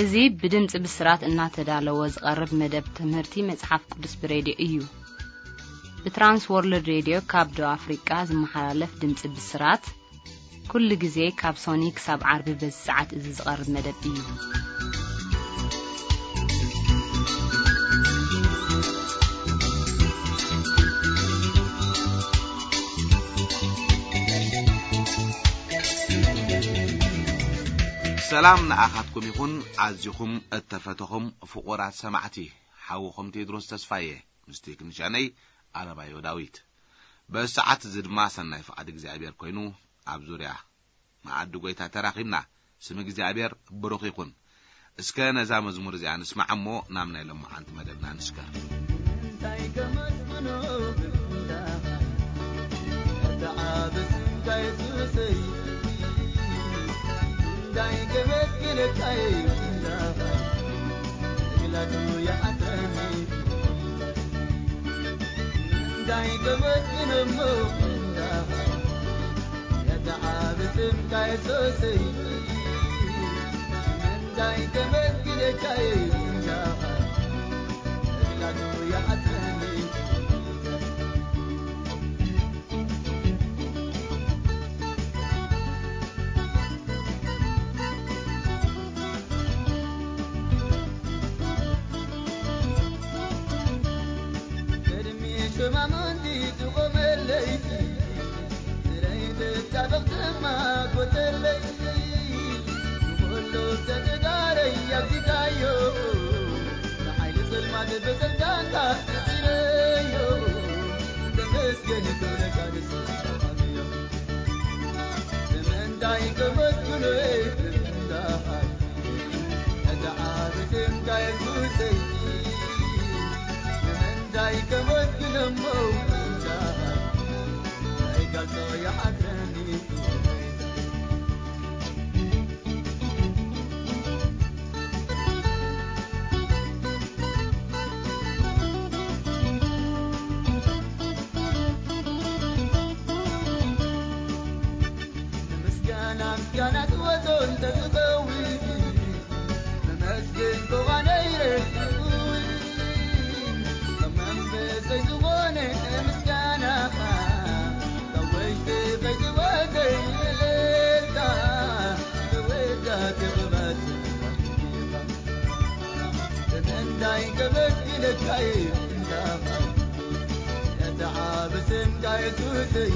እዚ ብድምጺ ብስራት እናተዳለወ ዝቐርብ መደብ ትምህርቲ መጽሓፍ ቅዱስ ብሬድዮ እዩ። ብትራንስ ወርልድ ሬድዮ ካብ ደቡብ ኣፍሪቃ ዝመሓላለፍ ድምጺ ብስራት፣ ኩሉ ግዜ ካብ ሶኒ ክሳብ ዓርቢ በዚ ሰዓት እዚ ዝቐርብ መደብ እዩ። ሰላም ንኣኻትኩም ይኹን። ኣዚኹም እተፈተኹም ፍቑራት ሰማዕቲ፣ ሓውኹም ቴድሮስ ተስፋየ ምስ ቴክኒሻነይ ኣለማዮ ዳዊት። በዚ ሰዓት እዚ ድማ ሰናይ ፍቓድ እግዚኣብሔር ኮይኑ ኣብ ዙርያ መኣዲ ጐይታ ተራኺብና። ስም እግዚኣብሔር ብሩኽ ይኹን። እስከ ነዛ መዝሙር እዚኣ ንስማዕ እሞ ናብ ናይ ሎማዓንቲ መደብና ንስገር። እንታይ ከመስግኖ ብፍንዳ፣ እቲ ዓቢ ስምካ የሱሰይ። እንታይ ከመስግነካ ብፍንዳ፣ መግላቱ ይሓትረኒ። እንታይ ከመስግኖ ብፍንዳ፣ ነቲ ዓቢ ስምካ የሱሰይ። እንታይ ከመስግነካ ብፍንዳ፣ መግላቱ ይሓትረኒ። ቅድሚ ሸማሙንቲ ትቖመለይ፣ ስረይ ትጣበቕ ድማ ጎተለይ። ንኹሉ ተጋረይ ኣብዚካዮ፣ ንሓይሊ ጸልማት ብስልጣንካ ስዒረዮ። ተመስገን ክብረካ ንስኻ ኣብዮ። ንምንታይ ከመስግኖ ብፍንዳይ፣ ነቲ ዓቢ ስምካ የሱሰይ። ንምንታይ ከመስግኖ እሞ ብፍንዳይ፣ ናይ ቃልሶ ይሓትረኒ ክብረይ። ንምስጋና ምስጋና ክወጾ እንተዝኸውን፣ መመስገን ኮኻ ነይረ ክኸውን። ካብ መንፈሰይ ዝኾነ ምስጋናኻ፣ ካብ ውሽጢ ከይዝወገ እልልታ፣ ክውዳሴ ክበጽሕ ንምንታይ ከመስግነካ እየ ብፍንዳኻ፣ ነቲ ዓቢ ስምካ የሱሰይ።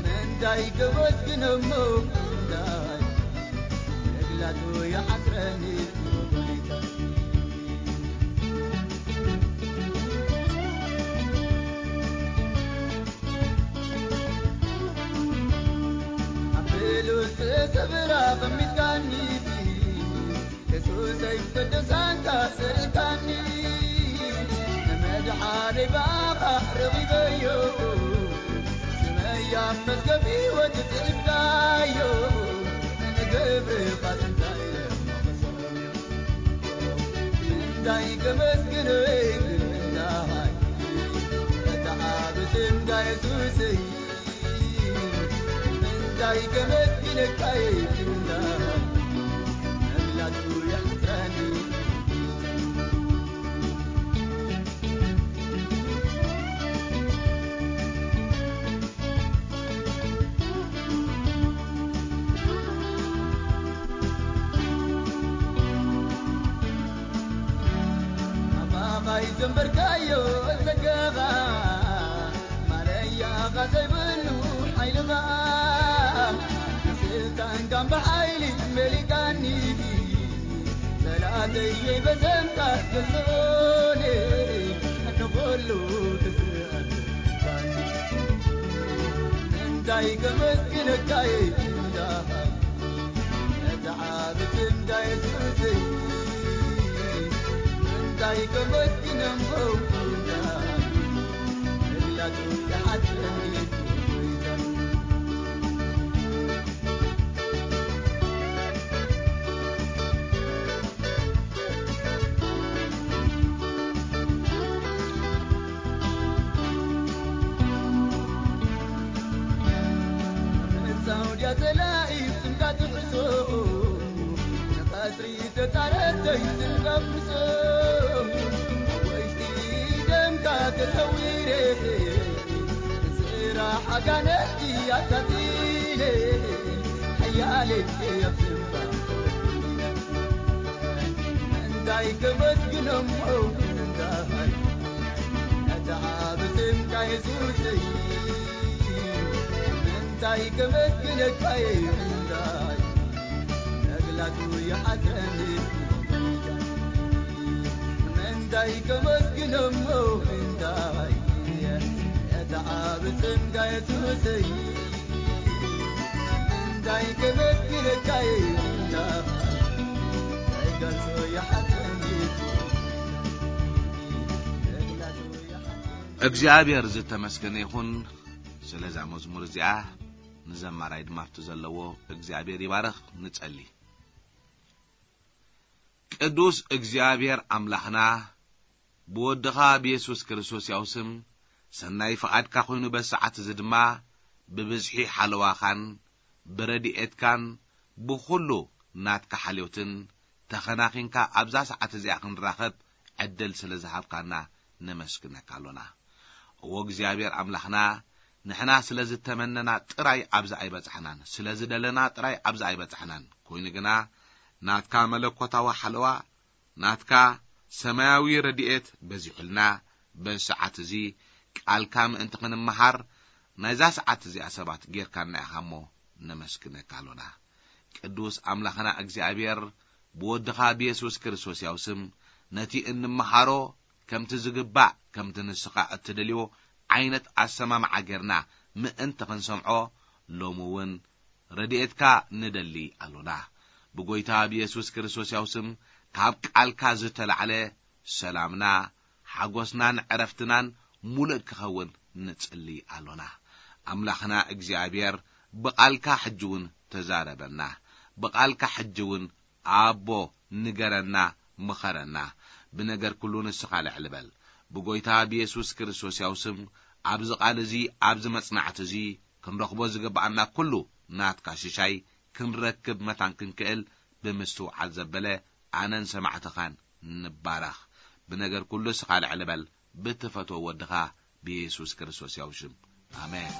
ምንታይ ከመስግኖ እሞ ብፍንዳይ፣ መግላቱ ይሓስረኒ ጎይታ። ኣብ ልኡል ስፍራ ኣቐሚጥካኒ፣ የሱሰይ ቅዱሳንካ ስእልካኒ። ንመድሓነይ ብኣኻ ረኺበዮ፣ ስመይ ኣብ መዝገብ ህይወት ጽሒፍካዮ። ንግብርኻ ጥንታይ ምንታይ ከመስግን ወይ ክብርታይ፣ እቲ ዓቢ ስምካ የሱሰይ። ምንታይ ከመስግነካ ይብላ፣ መግላቱ ይሓስረኒ። ኣባኻ ይዘንበርካዮ ጸጋኻ፣ ማለያኻ ዘይብሉ ሓይልኻ፣ ብስልጣንካን ብሓይሊ መሊካኒ፣ ጸላእተይ በዘምካ ገዝኦኒ፣ ንኹሉ ትስእልካኒ። እንታይ ከመስግነካ እንዳኻ፣ ነቲ ዓቢ ስምካ የሱሰይ። እንታይ ከመስግን እሞ እንዳኻ፣ መግላቱ ይሓትረኒ። ሳውድያ ጸላኢ ስምካ ትሕዞ፣ ንቐስ ዘይትንቀምጾም ወይሲ ደምካ ተሰዊረ፣ ስራሕ ኣጋንንቲ ኣካቲለ፣ ሓያል የብስባ። እንታይ ከመስግኖሞ እንታይ ነቲ ዓቢ ስምካ የሱሰይ፣ እንታይ ከመስግነካ እንታይ መግላጹ ይሓተኒ። ምንታይ ከመስግኖሞ ምንታይ ነቲ ዓቢ ስምካ የሱሰይ። ምንታይ ከመስግነካ ምንታይ ገልጾ ይሓተኒ። እግዚኣብሔር ዝተመስገነ ይኹን። ስለዛ መዝሙር እዚኣ ንዘማራይ ድማ ኣብቲ ዘለዎ እግዚኣብሔር ይባርኽ። ንጸሊ። ቅዱስ እግዚኣብሔር ኣምላኽና፣ ብወድኻ ብየሱስ ክርስቶስ ያው ስም ሰናይ ፍቓድካ ኮይኑ፣ በዚ ሰዓት እዚ ድማ ብብዝሒ ሓለዋኻን ብረድኤትካን ብኹሉ ናትካ ሓልዮትን ተኸናኺንካ ኣብዛ ሰዓት እዚኣ ክንራኸብ ዕድል ስለ ዝሃብካና ነመስግነካ ኣሎና። እዎ እግዚኣብሔር ኣምላኽና፣ ንሕና ስለ ዝተመነና ጥራይ ኣብዚ ኣይበጻሕናን፣ ስለ ዝደለና ጥራይ ኣብዚ ኣይበጻሕናን። ኮይኑ ግና ናትካ መለኮታዊ ሓለዋ፣ ናትካ ሰማያዊ ረድኤት በዚሑልና፣ በዚ ሰዓት እዚ ቃልካ ምእንቲ ክንመሃር ናይዛ ሰዓት እዚኣ ሰባት ጌርካና ኢኻ እሞ ነመስግነካ ኣሎና። ቅዱስ ኣምላኽና እግዚኣብሔር፣ ብወድኻ ብየሱስ ክርስቶስ ያው ስም ነቲ እንመሃሮ ከምቲ ዝግባእ፣ ከምቲ ንስኻ እትደልዮ ዓይነት ኣሰማምዓ ጌርና ምእንቲ ክንሰምዖ፣ ሎሚ እውን ረድኤትካ ንደሊ ኣሎና። ብጎይታ ብየሱስ ክርስቶስ ያው ስም ካብ ቃልካ ዝተላዕለ ሰላምና፣ ሓጎስናን ዕረፍትናን ሙሉእ ክኸውን ንጽሊ ኣሎና። ኣምላኽና እግዚኣብሔር፣ ብቓልካ ሕጂ እውን ተዛረበና። ብቓልካ ሕጂ እውን ኣቦ ንገረና፣ ምኸረና። ብነገር ኩሉ ንስኻ ልዕል በል። ብጎይታ ብየሱስ ክርስቶስ ያው ስም ኣብዚ ቃል እዚ፣ ኣብዚ መጽናዕቲ እዚ ክንረኽቦ ዝግብኣና ኩሉ ናትካ ሽሻይ ክንረክብ መታን ክንክእል ብምስትውዓል ዘበለ ኣነን ሰማዕትኻን ንባረኽ። ብነገር ኩሉ ንስኻ ልዕል በል። ብትፈትዎ ወድኻ ብየሱስ ክርስቶስ ያው ሽም። ኣሜን።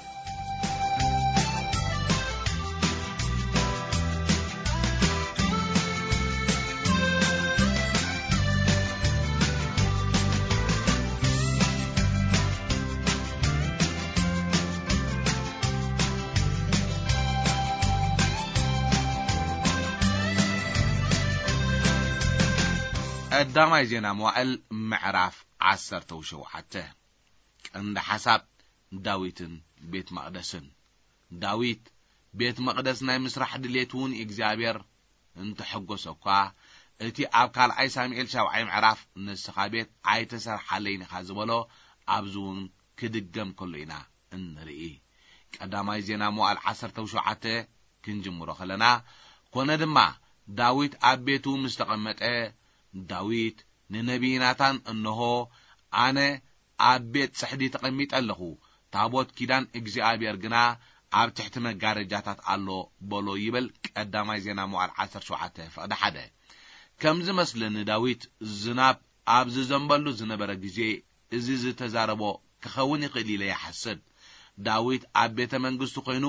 ቀዳማይ ዜና መዋዕል ምዕራፍ ዓሰርተ ሸውዓተ። ቀንዲ ሓሳብ ዳዊትን ቤት መቕደስን። ዳዊት ቤት መቕደስ ናይ ምስራሕ ድሌት እውን እግዚኣብሔር እንተሐጎሰ እኳ፣ እቲ ኣብ ካልኣይ ሳሙኤል ሻብዓይ ምዕራፍ ንስኻ ቤት ኣይተሰርሓለይን ኢኻ ዝበሎ ኣብዚ እውን ክድገም ከሎ ኢና እንርኢ። ቀዳማይ ዜና መዋዕል ዓሰርተ ሸውዓተ ክንጅምሮ ከለና፣ ኮነ ድማ ዳዊት ኣብ ቤቱ ምስ ተቐመጠ፣ ዳዊት ንነቢይ ናታን፣ እንሆ፣ ኣነ ኣብ ቤት ጽሕዲ ተቐሚጠ ኣለኹ፣ ታቦት ኪዳን እግዚኣብሔር ግና ኣብ ትሕቲ መጋረጃታት ኣሎ በሎ ይብል። ቀዳማይ ዜና መዋዕል ዓሰርተ ሸውዓተ ፍቕዲ ሓደ። ከም ዝመስለኒ ዳዊት ዝናብ ኣብ ዝዘንበሉ ዝነበረ ግዜ እዚ ዝተዛረቦ ክኸውን ይኽእል ኢለ ይሓስብ። ዳዊት ኣብ ቤተ መንግስቱ ኮይኑ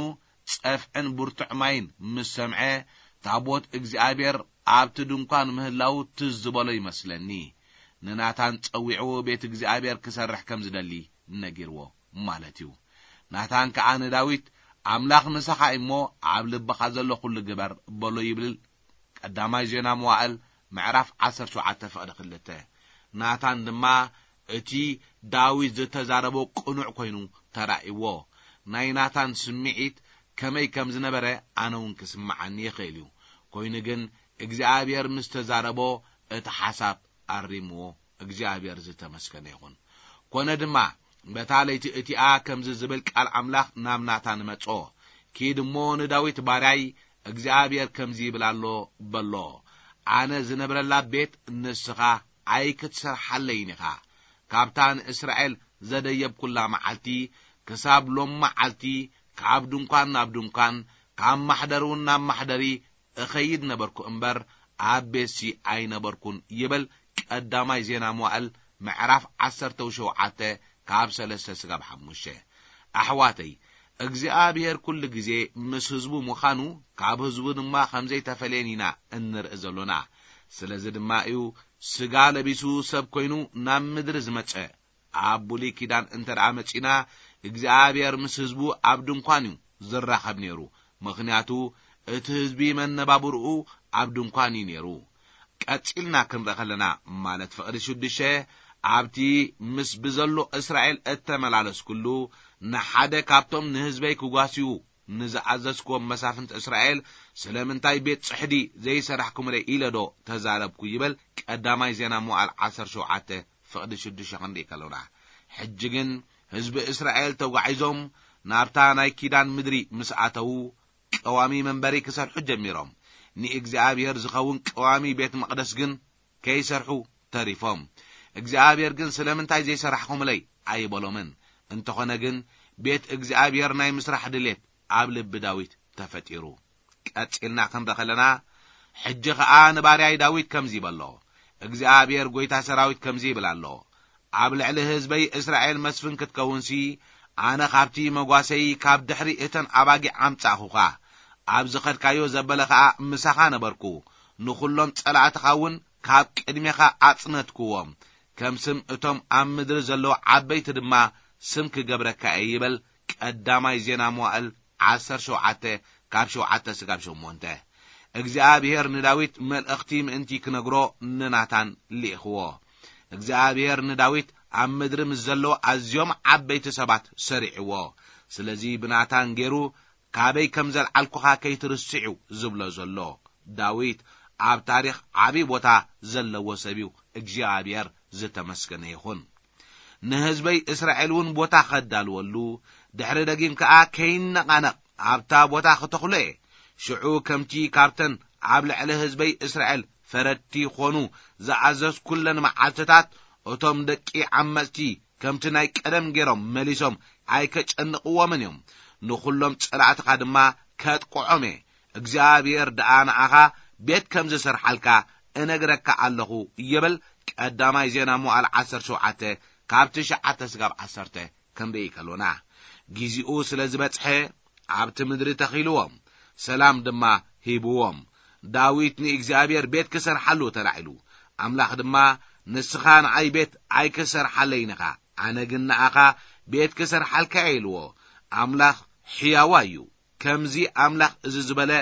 ጸፍዕን ብርቱዕ ማይን ምስ ሰምዐ፣ ታቦት እግዚኣብሔር ኣብቲ ድንኳን ምህላዉ ትዝ ዝበሎ ይመስለኒ። ንናታን ጸዊዕዎ ቤት እግዚኣብሔር ክሰርሕ ከም ዝደሊ ነጊርዎ ማለት እዩ። ናታን ከኣ ንዳዊት፣ ኣምላኽ ምሳኻ እዩ እሞ ኣብ ልብኻ ዘሎ ኩሉ ግበር በሎ ይብል። ቀዳማይ ዜና መዋዕል ምዕራፍ ዓሰርተ ሸውዓተ ፍቕዲ ክልተ። ናታን ድማ እቲ ዳዊት ዝተዛረቦ ቅኑዕ ኮይኑ ተራእይዎ። ናይ ናታን ስምዒት ከመይ ከም ዝነበረ ኣነ እውን ክስምዓኒ ይኽእል እዩ። ኮይኑ ግን እግዚኣብሔር ምስ ተዛረቦ እቲ ሓሳብ ኣሪምዎ። እግዚኣብሔር ዝተመስገነ ይኹን። ኮነ ድማ በታ ለይቲ እቲኣ ከምዚ ዝብል ቃል ኣምላኽ ናብ ናታን መጾ። ኪድ እሞ ንዳዊት ባርያይ እግዚኣብሔር ከምዚ ይብል ኣሎ በሎ። ኣነ ዝነብረላ ቤት ንስኻ ኣይክትሰርሓለይን ኢኻ። ካብታ ንእስራኤል ዘደየብኩላ መዓልቲ ክሳብ ሎም መዓልቲ ካብ ድንኳን ናብ ድንኳን ካብ ማሕደር እውን ናብ ማሕደሪ እኸይድ ነበርኩ እምበር ኣብ ቤትሲ ኣይነበርኩን ይብል ቀዳማይ ዜና መዋእል ምዕራፍ ዓሰርተ ሸውዓተ ካብ ሰለስተ ስጋብ ሓሙሽተ። ኣሕዋተይ፣ እግዚኣብሔር ኩሉ ግዜ ምስ ህዝቡ ምዃኑ ካብ ህዝቡ ድማ ከም ዘይተፈልየን ኢና እንርኢ ዘሎና። ስለዚ ድማ እዩ ስጋ ለቢሱ ሰብ ኮይኑ ናብ ምድሪ ዝመጸ። ኣብ ብሉይ ኪዳን እንተ ደኣ መጺና እግዚኣብሔር ምስ ህዝቡ ኣብ ድንኳን እዩ ዝራኸብ ነይሩ። ምኽንያቱ እቲ ህዝቢ መነባብርኡ ኣብ ድንኳን እዩ ነይሩ። ቀጺልና ክንርኢ ከለና ማለት ፍቕዲ ሽዱሽተ ኣብቲ ምስ ብዘሎ እስራኤል እተመላለስኩሉ ንሓደ ካብቶም ንህዝበይ ክጓስዩ ንዝኣዘዝኩዎም መሳፍንት እስራኤል ስለምንታይ ቤት ጽሕዲ ዘይሰራሕኩምለይ ኢለ ዶ ተዛረብኩ ይበል ቀዳማይ ዜና መዋዕል ዓሰርተ ሸውዓተ ፍቕዲ ሽዱሽተ ክንርኢ ከሎና። ሕጂ ግን ህዝቢ እስራኤል ተጓዒዞም ናብታ ናይ ኪዳን ምድሪ ምስ ኣተዉ ቀዋሚ መንበሪ ክሰርሑ ጀሚሮም። ንእግዚኣብሔር ዝኸውን ቀዋሚ ቤት መቕደስ ግን ከይሰርሑ ተሪፎም። እግዚኣብሔር ግን ስለምንታይ ዘይሰራሕኹምለይ ኣይበሎምን። እንተኾነ ግን ቤት እግዚኣብሔር ናይ ምስራሕ ድሌት ኣብ ልቢ ዳዊት ተፈጢሩ። ቀጺልና ክንርኢ ከለና ሕጂ ኸኣ ንባርያይ ዳዊት ከምዚ ይበሎ እግዚኣብሔር ጐይታ ሰራዊት ከምዚ ይብል ኣሎ ኣብ ልዕሊ ህዝበይ እስራኤል መስፍን ክትከውንሲ ኣነ ካብቲ መጓሰይ ካብ ድሕሪ እተን ኣባጊዕ ኣምጻእኹኻ። ኣብ ዝኸድካዮ ዘበለ ኸኣ ምሳኻ ነበርኩ። ንኹሎም ጸላእትኻ እውን ካብ ቅድሜኻ ኣጽነትክዎም። ከም ስም እቶም ኣብ ምድሪ ዘለዉ ዓበይቲ ድማ ስም ክገብረካ እየ ይበል ቀዳማይ ዜና መዋእል ዓሰርተ ሸውዓተ ካብ ሸውዓተ ስጋብ ሸሞንተ። እግዚኣብሔር ንዳዊት መልእኽቲ ምእንቲ ክነግሮ ንናታን ልኢኽዎ። እግዚኣብሔር ንዳዊት ኣብ ምድሪ ምስ ዘለዉ ኣዝዮም ዓበይቲ ሰባት ሰሪዕዎ። ስለዚ ብናታን ገይሩ ካበይ ከም ዘልዓልኩኻ ከይትርስዕዩ ዝብሎ ዘሎ። ዳዊት ኣብ ታሪኽ ዓብዪ ቦታ ዘለዎ ሰብ እዩ። እግዚኣብሔር ዝተመስገነ ይኹን። ንህዝበይ እስራኤል እውን ቦታ ኸዳልወሉ ድሕሪ ደጊም ከኣ ከይነቓነቕ ኣብታ ቦታ ክተኽሎ እየ። ሽዑ ከምቲ ካብተን ኣብ ልዕሊ ህዝበይ እስራኤል ፈረድቲ ኾኑ ዝኣዘዝኩለን መዓልትታት እቶም ደቂ ዓመፅቲ ከምቲ ናይ ቀደም ገይሮም መሊሶም ኣይከጨንቕዎምን እዮም። ንኹሎም ጸላእትኻ ድማ ከጥቅዖም እየ። እግዚኣብሔር ደኣ ንኣኻ ቤት ከም ዝሰርሓልካ እነግረካ ኣለኹ ይብል ቀዳማይ ዜና መዋዕል ዓሰርተ ሸውዓተ ካብ ትሽዓተ ስጋብ ዓሰርተ ክንርኢ ከሎና። ጊዜኡ ስለ ዝበጽሐ ኣብቲ ምድሪ ተኺልዎም፣ ሰላም ድማ ሂብዎም። ዳዊት ንእግዚኣብሔር ቤት ክሰርሓሉ ተላዒሉ። ኣምላኽ ድማ ንስኻ ንኣይ ቤት ኣይክሰርሓለይን ኢኻ፣ ኣነ ግን ንኣኻ ቤት ክሰርሓልካ እየ ኢልዎ። ኣምላኽ ሕያዋ እዩ። ከምዚ ኣምላኽ እዚ ዝበለ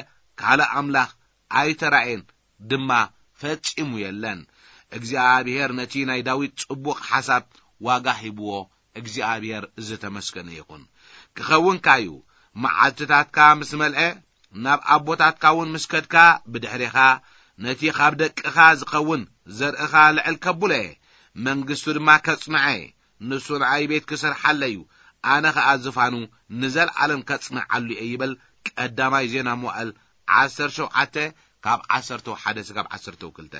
ካልእ ኣምላኽ ኣይተራእየን ድማ ፈጺሙ የለን። እግዚኣብሔር ነቲ ናይ ዳዊት ጽቡቕ ሓሳብ ዋጋ ሂብዎ። እግዚኣብሔር ዝተመስገነ ይኹን። ክኸውንካ እዩ። መዓልትታትካ ምስ መልአ ናብ ኣቦታትካ እውን ምስ ከድካ ብድሕሬኻ ነቲ ካብ ደቅኻ ዝኸውን ዘርእኻ ልዕል ከብሎ እየ። መንግስቱ ድማ ከጽንዐ እየ። ንሱ ንኣይ ቤት ክሰርሓለ እዩ። ኣነ ኸኣ ዝፋኑ ንዘለዓለም ከጽንዓሉ እየ ይብል ቀዳማይ ዜና መዋእል ዓሰርተ ሸውዓተ ካብ ዓሰርተ ሓደ ስጋብ ዓሰርተ ክልተ።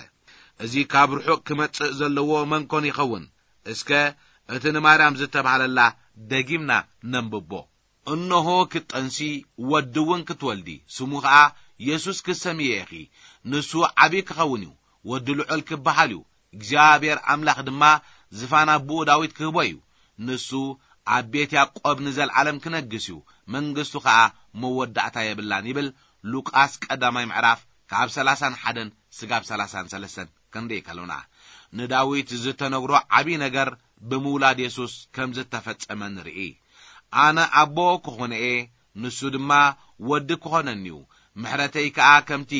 እዚ ካብ ርሑቕ ክመጽእ ዘለዎ መን ኮን ይኸውን? እስከ እቲ ንማርያም ዝተባህለላ ደጊምና ነንብቦ። እነሆ ክትጠንሲ ወዲ እውን ክትወልዲ፣ ስሙ ኸኣ የሱስ ክትሰምዮ ኢኺ። ንሱ ዓብዪ ክኸውን እዩ፣ ወዲ ልዑል ክበሃል እዩ። እግዚኣብሔር ኣምላኽ ድማ ዝፋን ኣቦኡ ዳዊት ክህቦ እዩ። ንሱ ኣብ ቤት ያዕቆብ ንዘለዓለም ክነግስ እዩ፣ መንግስቱ ኸኣ መወዳእታ የብላን ይብል ሉቃስ ቀዳማይ ምዕራፍ ካብ ሰላሳን ሓደን ስጋብ ሰላሳን ሰለስተን ክንርኢ ከሎና፣ ንዳዊት ዝተነግሮ ዓብዪ ነገር ብምውላድ የሱስ ከም ዝተፈጸመ ንርኢ። ኣነ ኣቦ ክኾነ እየ፣ ንሱ ድማ ወዲ ክኾነኒ እዩ። ምሕረተይ ከኣ ከምቲ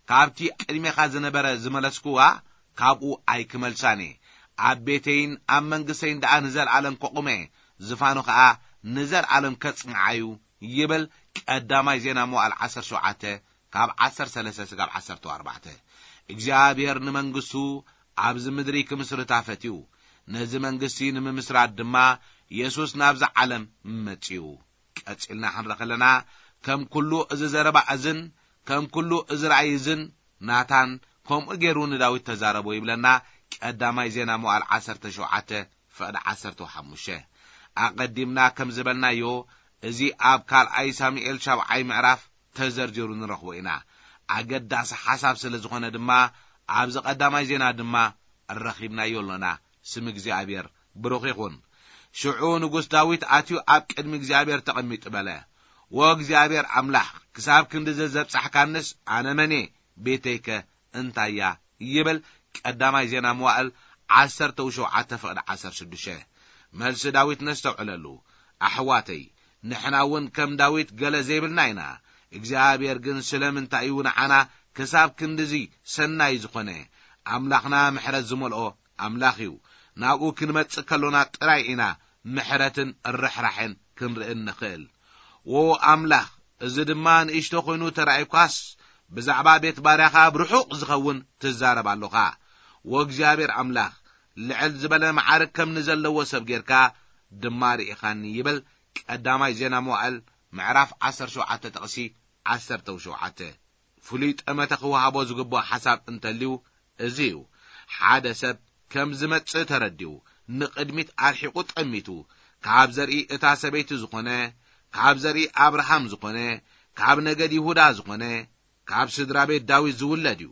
ካብቲ ቅድሜኻ ዝነበረ ዝመለስኩዋ፣ ካብኡ ኣይክመልሳን እየ። ኣብ ቤተይን ኣብ መንግስተይን ደኣ ንዘለኣለም ከቑመ እየ፣ ዝፋኑ ኸኣ ንዘለኣለም ከጽንዓ እዩ ይብል ቀዳማይ ዜና መዋዕል ዓሰርተ ሸውዓተ ካብ ዓሰርተ ሰለስተ ስጋብ ዓሰርተ ኣርባዕተ። እግዚኣብሔር ንመንግስቱ ኣብዚ ምድሪ ክምስርታ ፈትዩ። ነዚ መንግስቲ ንምምስራት ድማ የሱስ ናብዛ ዓለም መጺኡ። ቀጺልና ክንርኢ ከለና፣ ከም ኩሉ እዚ ዘረባ እዝን ከም ኩሉ እዚ ራእይ እዝን ናታን ከምኡ ገይሩ ንዳዊት ተዛረቦ ይብለና። ቀዳማይ ዜና መዋዕል ዓሰርተ ሸውዓተ ፍቕዲ ዓሰርተ ሓሙሽተ። ኣቐዲምና ከም ዝበልናዮ፣ እዚ ኣብ ካልኣይ ሳሙኤል ሻብዓይ ምዕራፍ ተዘርዚሩ ንረኽቦ ኢና። ኣገዳሲ ሓሳብ ስለ ዝኾነ ድማ ኣብዚ ቀዳማይ ዜና ድማ ረኺብናዮ ኣሎና። ስም እግዚኣብሔር ብሩኽ ይኹን። ሽዑ ንጉስ ዳዊት ኣትዩ ኣብ ቅድሚ እግዚኣብሔር ተቐሚጡ በለ፣ "ወእግዚኣብሔር ኣምላኽ፣ ክሳብ ክንድዚ ዘብጻሕካንስ ኣነ መን እየ? ቤተይከ እንታይ እያ?" ይብል ቀዳማይ ዜና መዋእል ዓሰርተ ሸውዓተ ፍቕዲ ዓሰርተ ሽዱሽተ። መልሲ ዳዊት ነስተውዕለሉ። ኣሕዋተይ፣ ንሕና እውን ከም ዳዊት ገለ ዘይብልና ኢና። እግዚኣብሔር ግን ስለምንታይ እዩ ንዓና ክሳብ ክንድዚ ሰናይ ዝኾነ? ኣምላኽና ምሕረት ዝመልኦ ኣምላኽ እዩ። ናብኡ ክንመጽእ ከሎና ጥራይ ኢና ምሕረትን ርሕራሕን ክንርኢ እንኽእል። ዎ ኣምላኽ፣ እዚ ድማ ንእሽቶ ኮይኑ ተራእዩካስ፣ ብዛዕባ ቤት ባርያኻ ኣብ ርሑቕ ዝኸውን ትዛረብ ኣሎኻ። ወእግዚኣብሔር ኣምላኽ፣ ልዕል ዝበለ መዓርግ ከም ንዘለዎ ሰብ ጌርካ ድማ ርኢኻኒ ይብል ቀዳማይ ዜና መዋእል ምዕራፍ ዓሰርተ ሸውዓተ ጥቕሲ ዓሰርተ ሸውዓተ። ፍሉይ ጠመተ ክወሃቦ ዝግብኦ ሓሳብ እንተልዩ እዚ እዩ። ሓደ ሰብ ከም ዝመጽእ ተረዲኡ፣ ንቕድሚት ኣርሒቑ ጠሚቱ፣ ካብ ዘርኢ እታ ሰበይቲ ዝኾነ፣ ካብ ዘርኢ ኣብርሃም ዝኾነ፣ ካብ ነገድ ይሁዳ ዝኾነ፣ ካብ ስድራ ቤት ዳዊት ዝውለድ እዩ።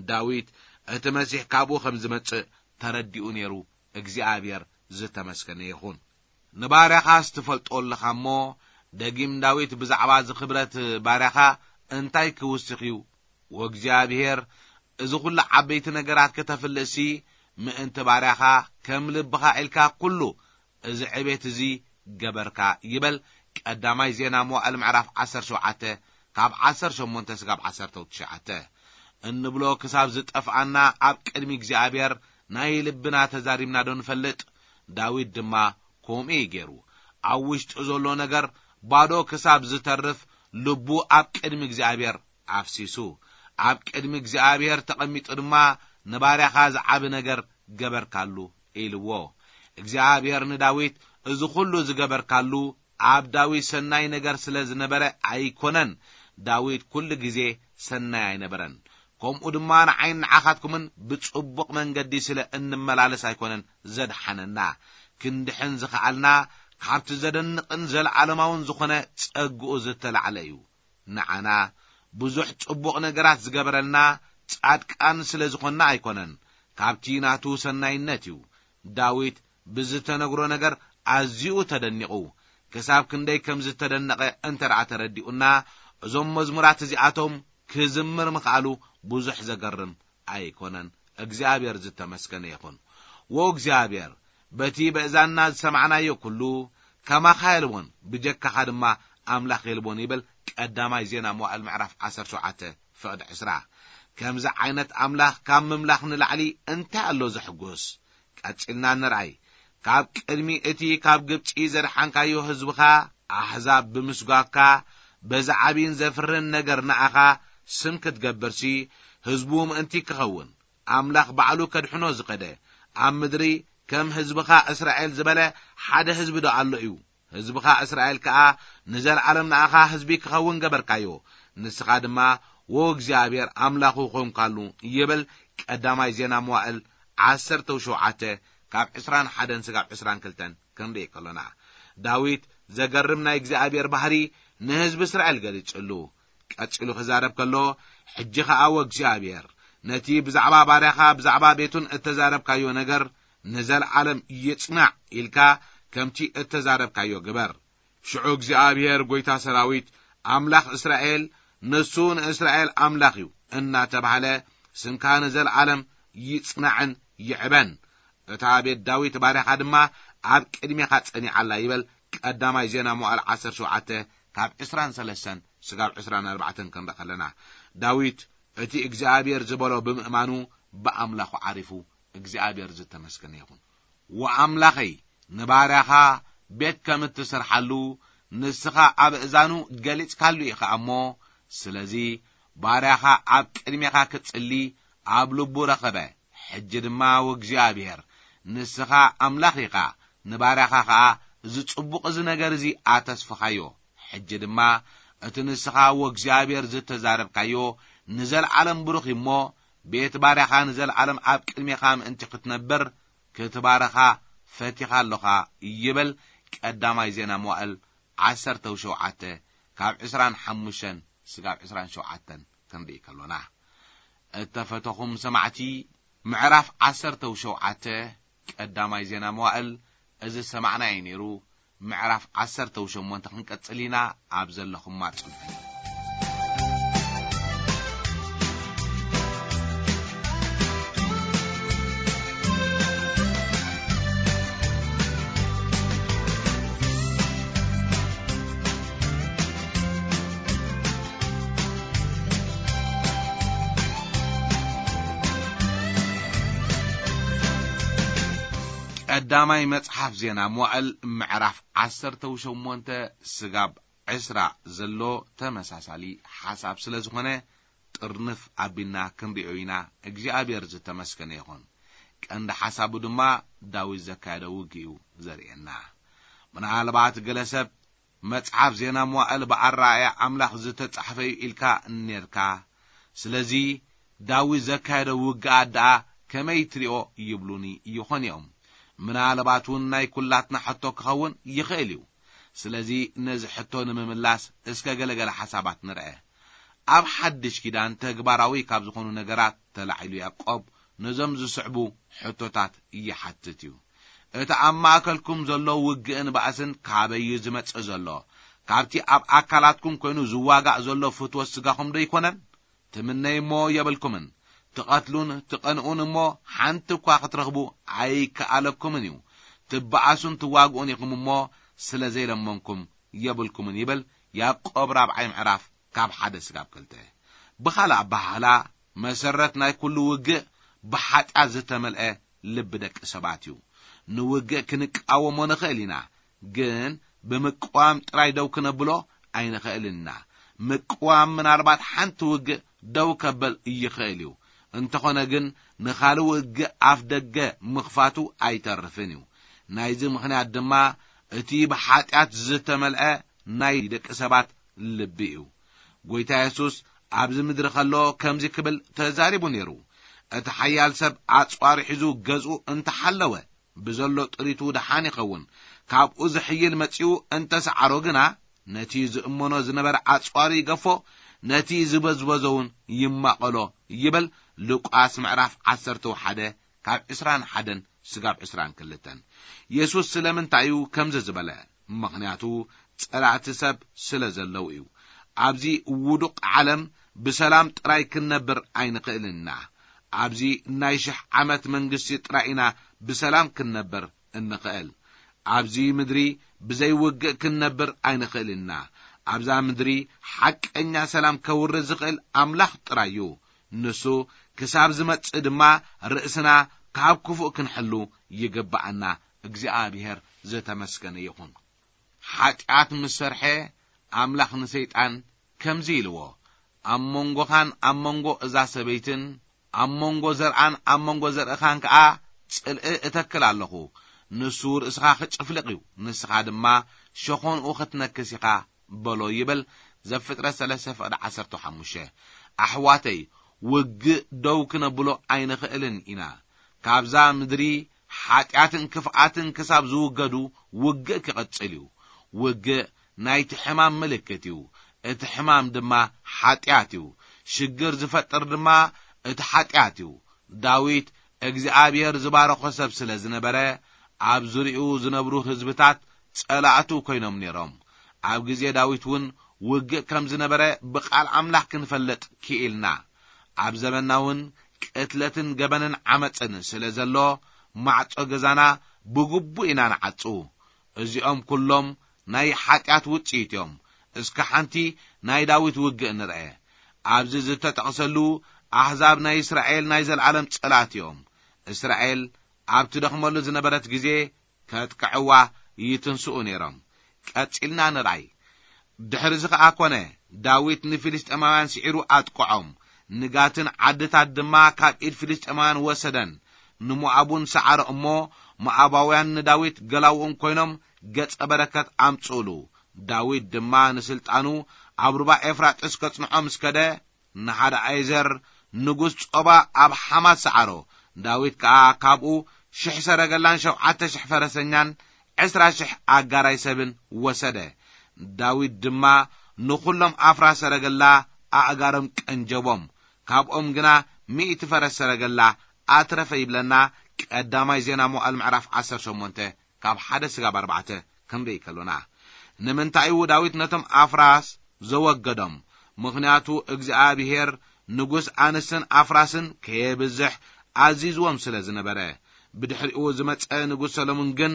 ዳዊት እቲ መሲሕ ካብኡ ከም ዝመጽእ ተረዲኡ ነይሩ። እግዚኣብሔር ዝተመስገነ ይኹን። ንባርያኻስ ትፈልጦ ኣለኻ እሞ፣ ደጊም ዳዊት ብዛዕባ እዚ ክብረት ባርያኻ እንታይ ክውስኽ እዩ? ወእግዚኣብሔር፣ እዚ ኹሉ ዓበይቲ ነገራት ከተፍልጥሲ፣ ምእንቲ ባርያኻ ከም ልብኻ ኢልካ ኩሉ እዚ ዕቤት እዚ ገበርካ ይበል። ቀዳማይ ዜና መዋእል ምዕራፍ ዓሰርተ ሸውዓተ ካብ ዓሰርተ ሸሞንተ ስጋብ ዓሰርተ ትሽዓተ። እንብሎ ክሳብ ዝጠፍኣና ኣብ ቅድሚ እግዚኣብሔር ናይ ልብና ተዛሪብና ዶ ንፈልጥ? ዳዊት ድማ ከምኡ እዩ ገይሩ። ኣብ ውሽጡ ዘሎ ነገር ባዶ ክሳብ ዝተርፍ ልቡ ኣብ ቅድሚ እግዚኣብሔር ኣፍሲሱ። ኣብ ቅድሚ እግዚኣብሔር ተቐሚጡ ድማ ንባርያኻ ዝዓቢ ነገር ገበርካሉ ኢልዎ። እግዚኣብሔር ንዳዊት እዚ ኹሉ ዝገበርካሉ ኣብ ዳዊት ሰናይ ነገር ስለ ዝነበረ ኣይኮነን። ዳዊት ኩሉ ግዜ ሰናይ ኣይነበረን። ከምኡ ድማ ንዓይን ንዓኻትኩምን ብጽቡቕ መንገዲ ስለ እንመላለስ ኣይኮነን ዘድሓነና። ክንድሕን ዝኸኣልና ካብቲ ዘደንቕን ዘለዓለማውን ዝኾነ ጸግኡ ዝተላዕለ እዩ። ንዓና ብዙሕ ጽቡቕ ነገራት ዝገበረልና ጻድቃን ስለ ዝኾንና ኣይኮነን፣ ካብቲ ናቱ ሰናይነት እዩ። ዳዊት ብዝተነግሮ ነገር ኣዝዩ ተደኒቑ። ክሳብ ክንደይ ከም ዝተደነቐ እንተ ደኣ ተረዲኡና፣ እዞም መዝሙራት እዚኣቶም ክዝምር ምኽኣሉ ብዙሕ ዘገርም ኣይኮነን። እግዚኣብሔር ዝተመስገነ ይኹን። ወእግዚኣብሔር፣ በቲ በእዛንና ዝሰማዕናዮ ኩሉ፣ ከማኻ የልቦን፣ ብጀካኻ ድማ ኣምላኽ የልቦን ይብል ቀዳማይ ዜና መዋእል ምዕራፍ ዓሰርተ ሸውዓተ ፍቕዲ ዕስራ። ከምዚ ዓይነት ኣምላኽ ካብ ምምላኽ ንላዕሊ እንታይ ኣሎ ዘሕጉስ? ቀጺልና ንርኣይ። ካብ ቅድሚ እቲ ካብ ግብጺ ዘድሓንካዮ ህዝብኻ ኣሕዛብ ብምስጓግካ፣ በዚ ዓቢን ዘፍርን ነገር ንኣኻ ስም ክትገብርሲ፣ ህዝቡ ምእንቲ ክኸውን፣ ኣምላኽ ባዕሉ ከድሕኖ ዝኸደ፣ ኣብ ምድሪ ከም ህዝብኻ እስራኤል ዝበለ ሓደ ህዝቢ ዶ ኣሎ እዩ? ህዝብኻ እስራኤል ከኣ ንዘለዓለም ንኣኻ ህዝቢ ክኸውን ገበርካዮ። ንስኻ ድማ ወእግዚኣብሔር ኣምላኹ ኾንካሉ ይብል ቀዳማይ ዜና መዋእል ዓሰርተ ሸውዓተ ካብ ዕስራን ሓደን ስጋብ ዕስራን ክልተን ክንርኢ ከሎና። ዳዊት ዘገርም ናይ እግዚኣብሔር ባህሪ ንህዝቢ እስራኤል ገሊጹሉ። ቀጺሉ ክዛረብ ከሎ፣ ሕጂ ኸኣ ወእግዚኣብሔር ነቲ ብዛዕባ ባርያኻ ብዛዕባ ቤቱን እተዛረብካዮ ነገር ንዘለዓለም ይጽናዕ ኢልካ ከምቲ እተዛረብካዮ ግበር። ሽዑ እግዚኣብሔር ጐይታ ሰራዊት ኣምላኽ እስራኤል ንሱ ንእስራኤል ኣምላኽ እዩ እናተባህለ ስምካ ንዘለዓለም ይጽናዕን ይዕበን። እታ ቤት ዳዊት ባርያኻ ድማ ኣብ ቅድሜኻ ጸኒዓ ኣላ ይበል ቀዳማይ ዜና መዋዕል ዓሰርተ ሸውዓተ ካብ ዕስራን ሰለስተን ስጋብ ዕስራን ኣርባዕተን ክንርኢ ከለና። ዳዊት እቲ እግዚኣብሔር ዝበሎ ብምእማኑ ብኣምላኹ ዓሪፉ እግዚኣብሔር ዝተመስገነ ይኹን። ወኣምላኸይ ንባርያኻ ቤት ከም እትሰርሓሉ ንስኻ ኣብ እዛኑ ገሊጽካሉ ኢኻ እሞ፣ ስለዚ ባርያኻ ኣብ ቅድሜኻ ክጽሊ ኣብ ልቡ ረኸበ። ሕጂ ድማ ወእግዚኣብሔር ንስኻ ኣምላኽ ኢኻ፣ ንባርያኻ ኸኣ እዚ ጽቡቕ እዚ ነገር እዚ ኣተስፍኻዮ። ሕጂ ድማ እቲ ንስኻ ወእግዚኣብሔር ዝተዛረብካዮ ንዘለዓለም ብሩኽ እዩ እሞ፣ ቤት ባርያኻ ንዘለዓለም ኣብ ቅድሜኻ ምእንቲ ክትነብር ክትባረኻ ፈቲኻ ኣሎኻ ይብል ቀዳማይ ዜና መዋእል ዓሰርተ ሸውዓተ ካብ ዕስራን ሓሙሽተን ስጋብ ዕስራን ሸውዓተን ክንርኢ ከሎና፣ እተፈተኹም ሰማዕቲ፣ ምዕራፍ ዓሰርተ ሸውዓተ ቀዳማይ ዜና መዋእል እዚ ዝሰማዕናዮ ነይሩ። ምዕራፍ ዓሰርተ ሸሞንተ ክንቀጽል ኢና። ኣብ ዘለኹም ኣጽንሑ። ቀዳማይ መጽሓፍ ዜና መዋእል ምዕራፍ ዓሰርተ ሸሞንተ ስጋብ ዕስራ ዘሎ ተመሳሳሊ ሓሳብ ስለ ዝኾነ፣ ጥርንፍ ኣቢልና ክንሪኦ ኢና። እግዚኣብሔር ዝተመስገነ ይኹን። ቀንዲ ሓሳቡ ድማ ዳዊት ዘካየደ ውግእ እዩ ዘርእየና። ምናልባት ገለ ሰብ፣ መጽሓፍ ዜና መዋእል ብኣረኣእያ ኣምላኽ ዝተጻሕፈ እዩ ኢልካ ነርካ። ስለዚ ዳዊት ዘካየደ ውግኣት ደኣ ከመይ ትሪኦ ይብሉኒ ይኾን እዮም። ምናልባት እውን ናይ ኩላትና ሕቶ ክኸውን ይኽእል እዩ። ስለዚ ነዚ ሕቶ ንምምላስ እስከ ገለገለ ሓሳባት ንርአ። ኣብ ሓድሽ ኪዳን ተግባራዊ ካብ ዝኾኑ ነገራት ተላዒሉ ያዕቆብ ነዞም ዝስዕቡ ሕቶታት ይሓትት እዩ። እቲ ኣብ ማእከልኩም ዘሎ ውግእን ባእስን ካበይ እዩ ዝመጽእ ዘሎ? ካብቲ ኣብ ኣካላትኩም ኮይኑ ዝዋጋእ ዘሎ ፍትወት ስጋኹም ዶ ኣይኮነን? ትምነዩ እሞ የብልኩምን፣ ትቐትሉን ትቐንኡን እሞ ሓንቲ እኳ ክትረኽቡ ኣይከኣለኩምን እዩ። ትበኣሱን ትዋግኡን ኢኹም እሞ ስለ ዘይለመንኩም የብልኩምን ይብል ያዕቆብ ራብዓይ ምዕራፍ ካብ ሓደ ስጋብ ክልተ። ብኻልእ ኣበሃህላ፣ መሰረት ናይ ኩሉ ውግእ ብሓጢኣት ዝተመልአ ልቢ ደቂ ሰባት እዩ። ንውግእ ክንቃወሞ ንኽእል ኢና፣ ግን ብምቅዋም ጥራይ ደው ክነብሎ ኣይንኽእልን ኢና። ምቅዋም ምናልባት ሓንቲ ውግእ ደው ከበል ይኽእል እዩ። እንተኾነ ግን ንኻልእ ውግእ ኣፍ ደገ ምኽፋቱ ኣይተርፍን እዩ። ናይዚ ምኽንያት ድማ እቲ ብሓጢኣት ዝተመልአ ናይ ደቂ ሰባት ልቢ እዩ። ጎይታ የሱስ ኣብዚ ምድሪ ከሎ ከምዚ ክብል ተዛሪቡ ነይሩ፣ "እቲ ሓያል ሰብ ኣጽዋሩ ሒዙ ገዝኡ እንተሓለወ፣ ብዘሎ ጥሪቱ ደሓን ይኸውን። ካብኡ ዝሕይል መጺኡ እንተሰዓሮ ግና፣ ነቲ ዝእመኖ ዝነበረ ኣጽዋሩ ይገፎ፣ ነቲ ዝበዝበዞ እውን ይማቐሎ" ይብል። ሉቃስ ምዕራፍ ዓሰርተ ሓደ ካብ ዕስራን ሓደን ስጋብ ዕስራን ክልተን። የሱስ ስለምንታይ እዩ ከምዚ ዝበለ? ምኽንያቱ ጸላእቲ ሰብ ስለ ዘለዉ እዩ። ኣብዚ ውዱቕ ዓለም ብሰላም ጥራይ ክንነብር ኣይንኽእልን ኢና። ኣብዚ ናይ ሽሕ ዓመት መንግስቲ ጥራይ ኢና ብሰላም ክንነብር እንኽእል። ኣብዚ ምድሪ ብዘይ ውግእ ክንነብር ኣይንኽእልን ኢና። ኣብዛ ምድሪ ሓቀኛ ሰላም ከውርድ ዝኽእል ኣምላኽ ጥራይ እዩ። ንሱ ክሳብ ዝመጽእ ድማ ርእስና ካብ ክፉእ ክንሕሉ ይግብኣና። እግዚኣብሔር ዝተመስገነ ይኹን። ሓጢኣት ምስ ሰርሐ፣ ኣምላኽ ንሰይጣን ከምዚ ኢልዎ፣ "ኣብ መንጎኻን ኣብ መንጎ እዛ ሰበይትን፣ ኣብ መንጎ ዘርኣን ኣብ መንጎ ዘርእኻን ከኣ ጽልኢ እተክል ኣለኹ። ንሱ ርእስኻ ክጭፍልቕ እዩ፣ ንስኻ ድማ ሸኾንኡ ክትነክስ ኢኻ" በሎ ይብል። ዘፍጥረት ሰለስተ ፍቕዲ ዓሰርተ ሓሙሽተ። ኣሕዋተይ፣ ውግእ ደው ክነብሎ ኣይንኽእልን ኢና። ካብዛ ምድሪ ሓጢኣትን ክፍኣትን ክሳብ ዝውገዱ ውግእ ክቕጽል እዩ። ውግእ ናይቲ ሕማም ምልክት እዩ። እቲ ሕማም ድማ ሓጢኣት እዩ። ሽግር ዝፈጥር ድማ እቲ ሓጢኣት እዩ። ዳዊት እግዚኣብሔር ዝባረኾ ሰብ ስለ ዝነበረ፣ ኣብ ዙርያኡ ዝነብሩ ህዝብታት ጸላእቱ ኮይኖም ነይሮም። ኣብ ግዜ ዳዊት እውን ውግእ ከም ዝነበረ ብቓል ኣምላኽ ክንፈልጥ ክኢልና። ኣብ ዘመንና እውን ቅትለትን ገበንን ዓመጽን ስለ ዘሎ፣ ማዕጾ ገዛና ብግቡእ ኢና ንዓጹ። እዚኦም ኩሎም ናይ ሓጢኣት ውጽኢት እዮም። እስከ ሓንቲ ናይ ዳዊት ውግእ ንርአ። ኣብዚ ዝተጠቕሰሉ ኣህዛብ ናይ እስራኤል ናይ ዘለኣለም ጸላእቲ እዮም። እስራኤል ኣብ ትደኽመሉ ዝነበረት ግዜ ከጥቅዕዋ ይትንስኡ ነይሮም። ቀጺልና ንርኣይ። ድሕርዚ ኸኣ ኮነ፣ ዳዊት ንፊልስጤማውያን ስዒሩ ኣጥቅዖም። ንጋትን ዓድታት ድማ ካብ ኢድ ፊልስጤማውያን ወሰደን። ንሞኣብ እውን ሰዓሮ እሞ፣ ሞኣባውያን ንዳዊት ገላውኡን ኮይኖም ገጸ በረከት ኣምጽኡሉ። ዳዊት ድማ ንስልጣኑ ኣብ ሩባ ኤፍራጥስ ከጽንዖ ምስ ከደ፣ ንሓደኣይዘር ንጉስ ጾባ ኣብ ሓማት ሰዓሮ። ዳዊት ከኣ ካብኡ ሽሕ ሰረገላን ሸውዓተ ሽሕ ፈረሰኛን ዕስራ ሽሕ ኣጋራይ ሰብን ወሰደ። ዳዊት ድማ ንኹሎም ኣፍራ ሰረገላ ኣእጋሮም ቀንጀቦም፣ ካብኦም ግና ሚእቲ ፈረስ ሰረገላ ኣትረፈ ይብለና ቀዳማይ ዜና መዋዕል ምዕራፍ ዓሰርተ ሸሞንተ ካብ ሓደ ስጋብ ኣርባዕተ ክንርኢ ከሎና። ንምንታይ እዩ ዳዊት ነቶም ኣፍራስ ዘወገዶም? ምኽንያቱ እግዚኣብሔር ንጉስ ኣንስትን ኣፍራስን ከየብዝሕ ኣዚዝዎም ስለ ዝነበረ። ብድሕሪኡ ዝመጸ ንጉስ ሰሎሞን ግን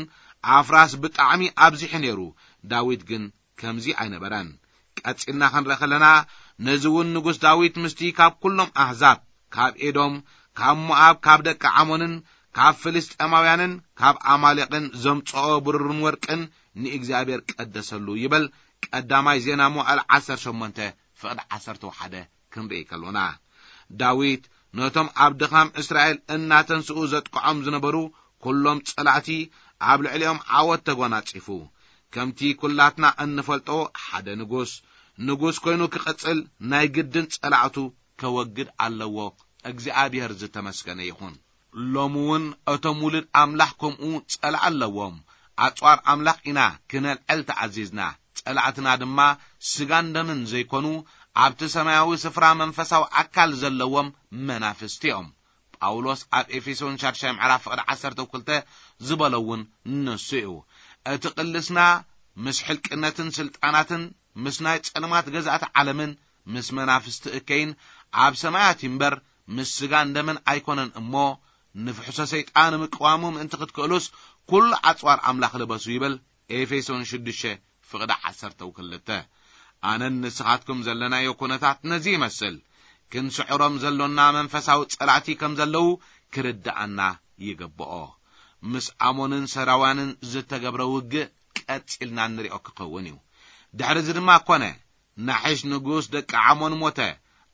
ኣፍራስ ብጣዕሚ ኣብዚሑ ነይሩ። ዳዊት ግን ከምዚ ኣይነበረን። ቀጺልና ክንርኢ ከለና፣ ነዚ እውን ንጉስ ዳዊት ምስቲ ካብ ኩሎም ኣህዛብ፣ ካብ ኤዶም፣ ካብ ሞኣብ፣ ካብ ደቂ ዓሞንን ካብ ፍልስጤማውያንን ካብ ኣማሌቕን ዘምጽኦ ብሩርን ወርቅን ንእግዚኣብሔር ቀደሰሉ ይብል። ቀዳማይ ዜና መዋዕል ዓሰርተ ሸሞንተ ፍቕዲ ዓሰርተ ሓደ ክንርኢ ከሎና፣ ዳዊት ነቶም ኣብ ድኻም እስራኤል እናተንስኡ ዘጥቅዖም ዝነበሩ ኩሎም ጸላእቲ ኣብ ልዕሊኦም ዓወት ተጎናጺፉ። ከምቲ ኩላትና እንፈልጦ፣ ሓደ ንጉስ፣ ንጉስ ኮይኑ ክቕጽል ናይ ግድን ጸላእቱ ከወግድ ኣለዎ። እግዚኣብሔር ዝተመስገነ ይኹን። ሎሚ እውን እቶም ውሉድ ኣምላኽ ከምኡ ጸላእ ኣለዎም። ኣጽዋር ኣምላኽ ኢና ክነልዕል ተኣዚዝና። ጸላእትና ድማ ስጋን ደምን ዘይኮኑ፣ ኣብቲ ሰማያዊ ስፍራ መንፈሳዊ ኣካል ዘለዎም መናፍስቲ እዮም። ጳውሎስ ኣብ ኤፌሶን ሻድሻይ ምዕራፍ ፍቕዲ ዓሰርተ ክልተ ዝበሎ እውን ንሱ እዩ። እቲ ቅልስና ምስ ሕልቅነትን ስልጣናትን፣ ምስ ናይ ጸልማት ገዛእቲ ዓለምን፣ ምስ መናፍስቲ እከይን ኣብ ሰማያት እምበር፣ ምስ ስጋን ደምን ኣይኮነን እሞ፣ ንፍሕሶ ሰይጣን ምቅዋሙ ምእንቲ ክትክእሉስ፣ ኩሉ ኣጽዋር ኣምላኽ ልበሱ ይብል። ኤፌሶን ሽዱሽተ ፍቕዲ ዓሰርተ ክልተ። ኣነን ንስኻትኩም ዘለናዮ ኩነታት ነዚ ይመስል። ክንስዕሮም ዘሎና መንፈሳዊ ጸላእቲ ከም ዘለዉ ክርድኣና ይግብኦ። ምስ ኣሞንን ሰራውያንን ዝተገብረ ውግእ ቀጺልና ንሪኦ ክኸውን እዩ። ድሕሪ እዚ ድማ ኮነ፣ ናሒሽ ንጉስ ደቂ ዓሞን ሞተ፣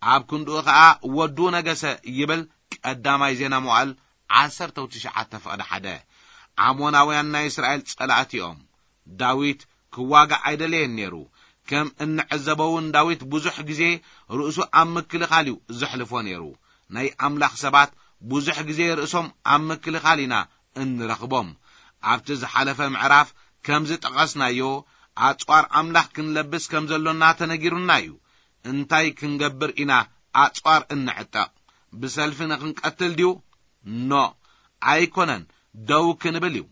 ኣብ ክንድኡ ኸኣ ወዱ ነገሰ ይብል። ቀዳማይ ዜና መዋዕል ዓሰርተ ትሽዓተ ፍቕዲ ሓደ። ዓሞናውያን ናይ እስራኤል ጸላእቲ እዮም። ዳዊት ክዋጋእ ኣይደለየን ነይሩ። ከም እንዕዘቦ እውን ዳዊት ብዙሕ ግዜ ርእሱ ኣብ ምክልኻል እዩ ዘሕልፎ ነይሩ። ናይ ኣምላኽ ሰባት ብዙሕ ግዜ ርእሶም ኣብ ምክልኻል ኢና እንረኽቦም። ኣብቲ ዝሓለፈ ምዕራፍ ከም ዝጠቐስናዮ፣ ኣጽዋር ኣምላኽ ክንለብስ ከም ዘሎና ተነጊሩና እዩ። እንታይ ክንገብር ኢና ኣጽዋር እንዕጠቕ? ብሰልፊ ንኽንቀትል ድዩ? ኖ፣ ኣይኮነን፣ ደው ክንብል እዩ።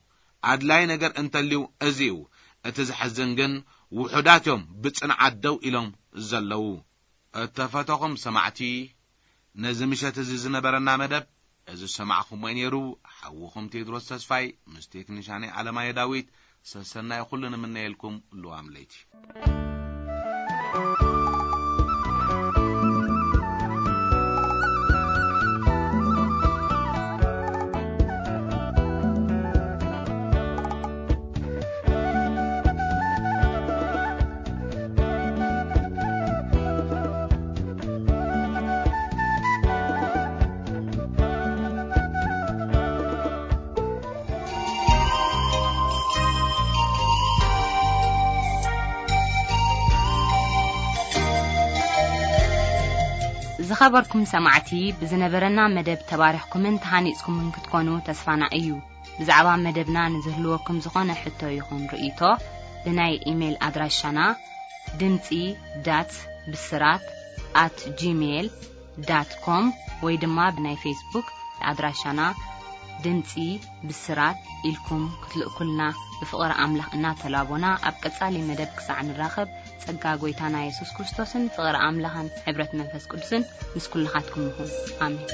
ኣድላይ ነገር እንተልዩ እዚ እዩ። እቲ ዘሕዝን ግን፣ ውሑዳት እዮም ብጽንዓት ደው ኢሎም ዘለዉ። እተፈተኹም ሰማዕቲ፣ ነዚ ምሸት እዚ ዝነበረና መደብ፣ እዚ ዝሰማዕኹምዎ ነይሩ። ሓውኹም ቴድሮስ ተስፋይ ምስ ቴክኒሻነይ ኣለማየ ዳዊት፣ ሰሰናይ ኩሉ ንምነየልኩም። ልዋም ለይቲ። ዝኸበርኩም ሰማዕቲ፣ ብዝነበረና መደብ ተባሪኽኩምን ተሃኒጽኩምን ክትኮኑ ተስፋና እዩ። ብዛዕባ መደብና ንዝህልወኩም ዝኾነ ሕቶ ይኹን ርእይቶ፣ ብናይ ኢሜይል ኣድራሻና ድምጺ ዳት ብስራት ኣት ጂሜይል ዳት ኮም ወይ ድማ ብናይ ፌስቡክ ኣድራሻና ድምጺ ብስራት ኢልኩም ክትልእኩልና ብፍቕሪ ኣምላኽ እናተላቦና፣ ኣብ ቀጻሊ መደብ ክሳዕ ንራኸብ፣ ጸጋ ጐይታና የሱስ ክርስቶስን ፍቕሪ ኣምላኽን ሕብረት መንፈስ ቅዱስን ምስ ኩልኻትኩም ይኹን። ኣሜን።